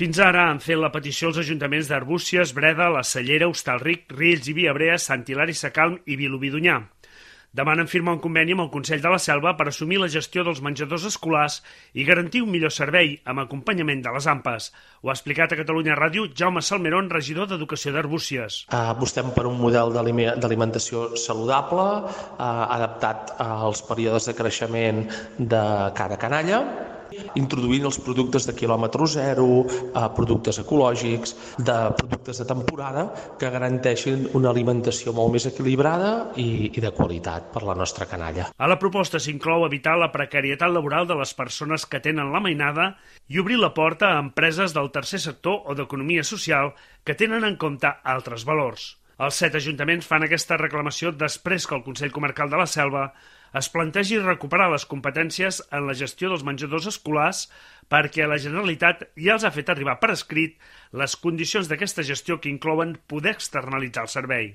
Fins ara han fet la petició als ajuntaments d'Arbúcies, Breda, La Cellera, Hostalric, Riells i Viabrea, Sant Hilari Sacalm i Vilobí d'Onyar. Demanen firmar un conveni amb el Consell de la Selva per assumir la gestió dels menjadors escolars i garantir un millor servei amb acompanyament de les AMPAs. Ho ha explicat a Catalunya Ràdio Jaume Salmerón, regidor d'Educació d'Arbúcies. Apostem per un model d'alimentació saludable, adaptat als períodes de creixement de cada canalla, introduint els productes de quilòmetre zero, productes ecològics, productes de temporada que garanteixin una alimentació molt més equilibrada i de qualitat per la nostra canalla. A la proposta s'inclou evitar la precarietat laboral de les persones que tenen la mainada i obrir la porta a empreses del tercer sector o d'economia social que tenen en compte altres valors. Els 7 ajuntaments fan aquesta reclamació després que el Consell Comarcal de la Selva es plantegi recuperar les competències en la gestió dels menjadors escolars perquè la Generalitat ja els ha fet arribar per escrit les condicions d'aquesta gestió que inclouen poder externalitzar el servei.